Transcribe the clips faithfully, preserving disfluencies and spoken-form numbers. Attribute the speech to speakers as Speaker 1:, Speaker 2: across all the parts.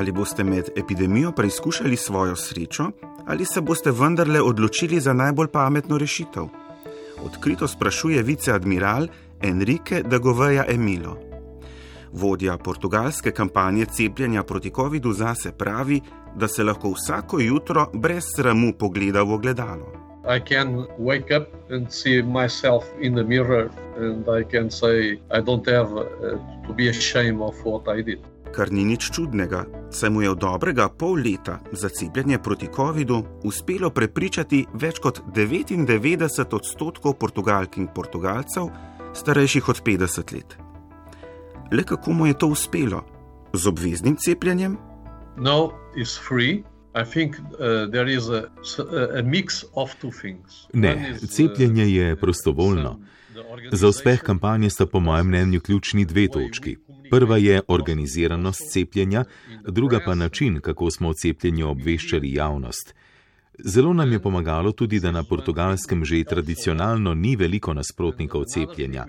Speaker 1: Ali boste med epidemijo preizkušali svojo srečo, ali se boste vendarle odločili za najbolj pametno rešitev? Odkrito sprašuje viceadmiral Enrique de Gouveia Emilo. Vodja portugalske kampanje cepljenja proti covidu zase pravi, da se lahko vsako jutro brez sramu pogleda v ogledalo.
Speaker 2: I can wake up and see myself in the mirror and I can say I don't have to be ashamed of what I did.
Speaker 1: Kar ni nič čudnega, saj mu je v dobrega pol leta za cepljenje proti covidu uspelo prepričati več kot devetindevetdeset odstotkov Portugalk in Portugalcev, starejših od petdeset let. Le kako mu je to uspelo? Z obveznim cepljenjem?
Speaker 2: No, it's free. I think uh, there is a, a mix of two things.
Speaker 3: Ne, cepljenje je prostovoljno. Za uspeh kampanje sta po mojem mnenju ključni dve točki. Prva je organiziranost cepljenja, druga pa način, kako smo o cepljenju obveščali javnost. Zelo nam je pomagalo tudi, da na Portugalskem že tradicionalno ni veliko nasprotnikov cepljenja.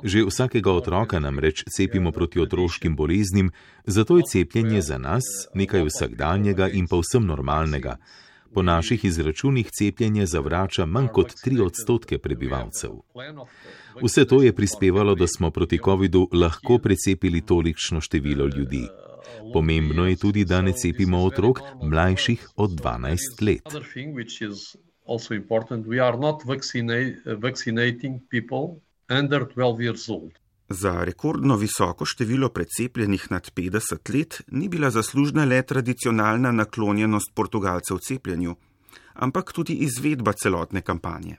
Speaker 3: Že vsakega otroka namreč cepimo proti otroškim boleznim, zato je cepljenje za nas nekaj vsakdanjega in povsem normalnega. Po naših izračunih cepljenje zavrača manj kot tri odstotke prebivalcev. Vse to je prispevalo, da smo proti covidu lahko precepili tolikšno število ljudi. Pomembno je tudi, da ne cepimo otrok mlajših od dvanajst let.
Speaker 1: Za rekordno visoko število precepljenih nad petdeset let ni bila zaslužna le tradicionalna naklonjenost Portugalcev cepljenju, ampak tudi izvedba celotne kampanje.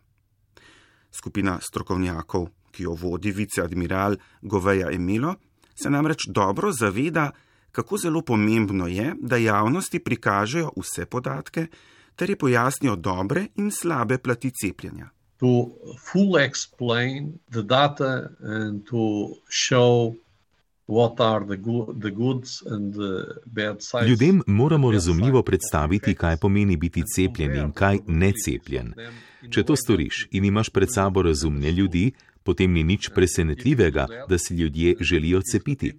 Speaker 1: Skupina strokovnjakov, ki jo vodi viceadmiral Gouveia Emilo, se namreč dobro zaveda, kako zelo pomembno je, da javnosti prikažejo vse podatke, ter je pojasnijo dobre in slabe plati cepljenja.
Speaker 2: To fully explain the data and to show what are the good, the goods and the bad sides.
Speaker 3: Ljudem moramo razumljivo predstaviti, kaj pomeni biti cepljen in kaj necepljen. Če to storiš in imaš pred sabo razumne ljudi, potem ni nič presenetljivega, da si ljudje želijo cepiti.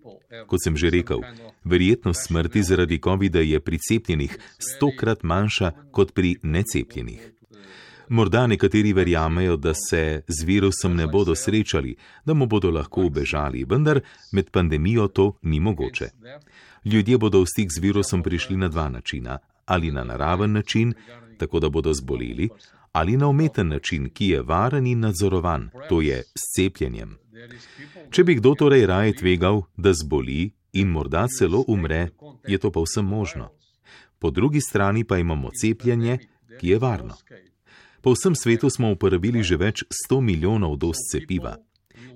Speaker 3: Kot sem že rekel, verjetnost smrti zaradi covida je pri cepljenih stokrat manjša kot pri necepljenih. Morda nekateri verjamejo, da se z virusom ne bodo srečali, da mu bodo lahko ubežali, vendar med pandemijo to ni mogoče. Ljudje bodo v stik z virusom prišli na dva načina, ali na naraven način, tako da bodo zboleli, ali na umeten način, ki je varen in nadzorovan, to je s cepljenjem. Če bi kdo torej raje tvegal, da zboli in morda celo umre, je to povsem možno. Po drugi strani pa imamo cepljenje, ki je varno. Po vsem svetu smo uporabili že več sto milijonov doz cepiva.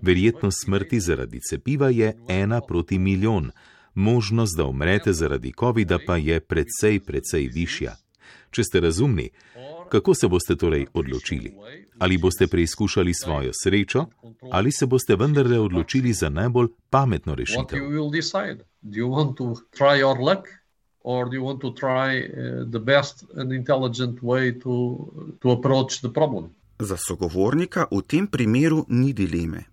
Speaker 3: Verjetnost smrti zaradi cepiva je ena proti milijon. Možnost, da umrete zaradi covida pa je precej, precej višja. Če ste razumni, kako se boste torej odločili? Ali boste preizkušali svojo srečo, ali se boste vendarle odločili za najbolj pametno rešitev?
Speaker 2: Or do you want to try uh, the best and intelligent way to, to approach the problem?
Speaker 1: Za sogovornika v tem primeru ni dileme.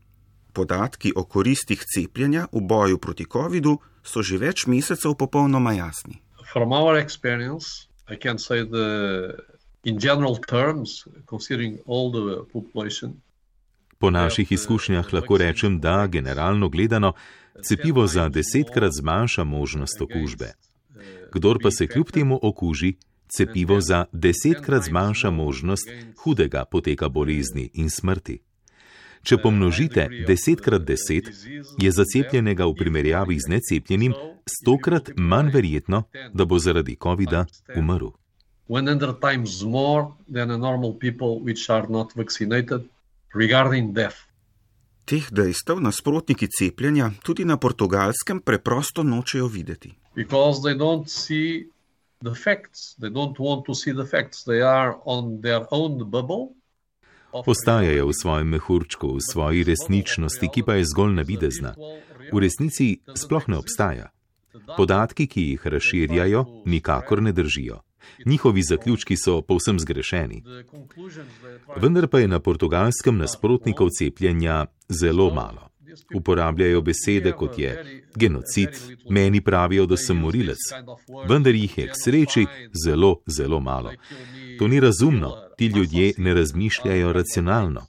Speaker 1: Podatki o koristih cepljenja v boju proti covidu so že več mesecev popolnoma jasni.
Speaker 2: From our experience, I can say the, in general terms, considering all the population,
Speaker 3: Po naših izkušnjah lahko rečem, da generalno gledano cepivo za desetkrat zmanjša možnost okužbe. Kdor pa se kljub temu okuži, cepivo za desetkrat zmanjša možnost hudega poteka bolezni in smrti. Če pomnožite deset krat deset, je za cepljenega v primerjavi z necepljenim stokrat manj verjetno, da bo zaradi covida umrl.
Speaker 2: times more than a normal people which are not vaccinated regarding death.
Speaker 1: Teh dejstev nasprotniki cepljenja tudi na Portugalskem preprosto nočejo videti.
Speaker 2: Because they don't see the facts. They don't want to see the facts. They are on their own bubble.
Speaker 3: Ostajajo v svojem mehurčku, v svoji resničnosti, ki pa je zgolj navidezna. V resnici sploh ne obstaja. Podatki, ki jih razširjajo, nikakor ne držijo. Njihovi zaključki so povsem zgrešeni. Vendar pa je na Portugalskem nasprotnikov cepljenja zelo malo. Uporabljajo besede, kot je genocid, meni pravijo, da sem morilec, vendar jih je k sreči zelo, zelo malo. To ni razumno, ti ljudje ne razmišljajo racionalno.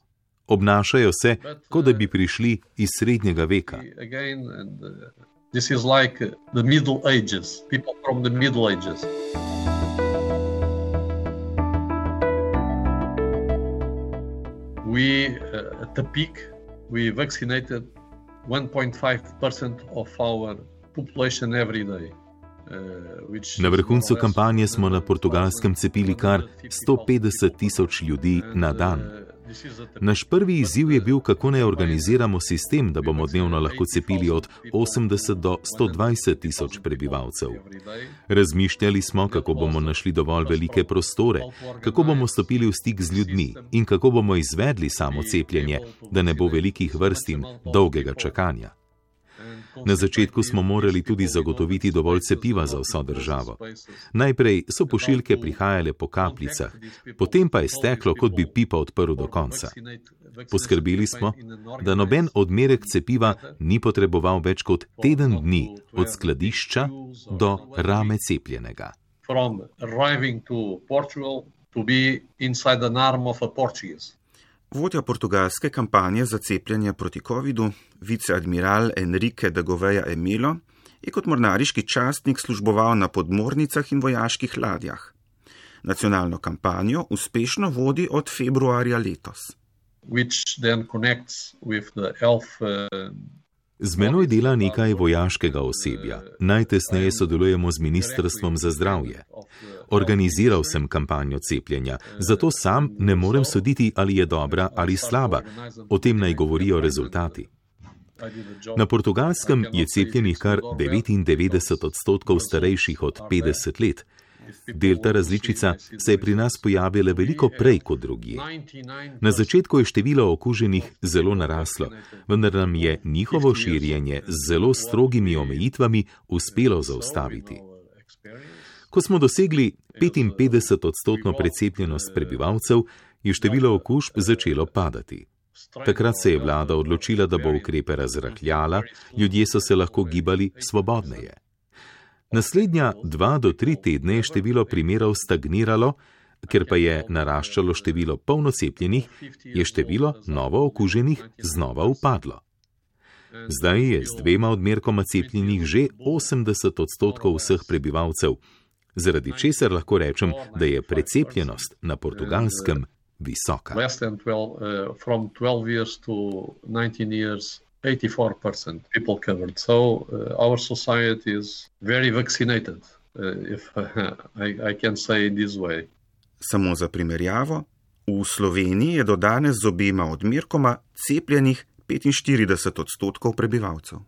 Speaker 3: Obnašajo se, kot da bi prišli iz srednjega veka.
Speaker 2: This is like the Middle Ages, people from the Middle Ages. We, uh, at the peak, we vaccinated one point five percent of our population every day.
Speaker 3: Na vrhuncu kampanje smo na Portugalskem cepili kar sto petdeset tisoč ljudi na dan. Naš prvi izziv je bil, kako naj organiziramo sistem, da bomo dnevno lahko cepili od osemdeset do sto dvajset tisoč prebivalcev. Razmišljali smo, kako bomo našli dovolj velike prostore, kako bomo stopili v stik z ljudmi in kako bomo izvedli samo cepljenje, da ne bo velikih vrst in dolgega čakanja. Na začetku smo morali tudi zagotoviti dovolj cepiva za vso državo. Najprej so pošiljke prihajale po kapljicah, potem pa je steklo, kot bi pipa odprl do konca. Poskrbeli smo, da noben odmerek cepiva ni potreboval več kot teden dni od skladišča do rame cepljenega.
Speaker 2: From arriving to Portugal to be inside an arm of a Portuguese.
Speaker 1: Vodja portugalske kampanje za cepljenje proti covidu, viceadmiral Enrique de Gouveia e Melo, je kot mornariški častnik služboval na podmornicah in vojaških ladjah. Nacionalno kampanjo uspešno vodi od februarja letos.
Speaker 2: Which then connects with the health, uh...
Speaker 3: Z menoj dela nekaj vojaškega osebja. Najtesneje sodelujemo z Ministrstvom za zdravje. Organiziral sem kampanjo cepljenja, zato sam ne morem soditi, ali je dobra ali slaba. O tem naj govorijo rezultati. Na Portugalskem je cepljenih kar devetindevetdeset odstotkov starejših od petdeset let. Delta različica se je pri nas pojavila veliko prej kot drugje. Na začetku je število okuženih zelo naraslo, vendar nam je njihovo širjenje z zelo strogimi omejitvami uspelo zaustaviti. Ko smo dosegli petinpetdeset odstotno precepljenost prebivalcev, je število okužb začelo padati. Takrat se je vlada odločila, da bo ukrepe razrahljala, ljudje so se lahko gibali svobodneje. Naslednja dva do tri tedne je število primerov stagniralo, ker pa je naraščalo število polnocepljenih, je število novo okuženih znova upadlo. Zdaj je z dvema odmerkoma cepljenih že osemdeset odstotkov vseh prebivalcev, zaradi česar lahko rečem, da je precepljenost na Portugalskem visoka.
Speaker 2: eighty-four percent people covered. So uh, our society is very vaccinated, uh, if uh, I, I can say this way.
Speaker 1: Samo za primerjavo, v Sloveniji je do danes z obema odmerkoma cepljenih petinštirideset odstotkov prebivalcev.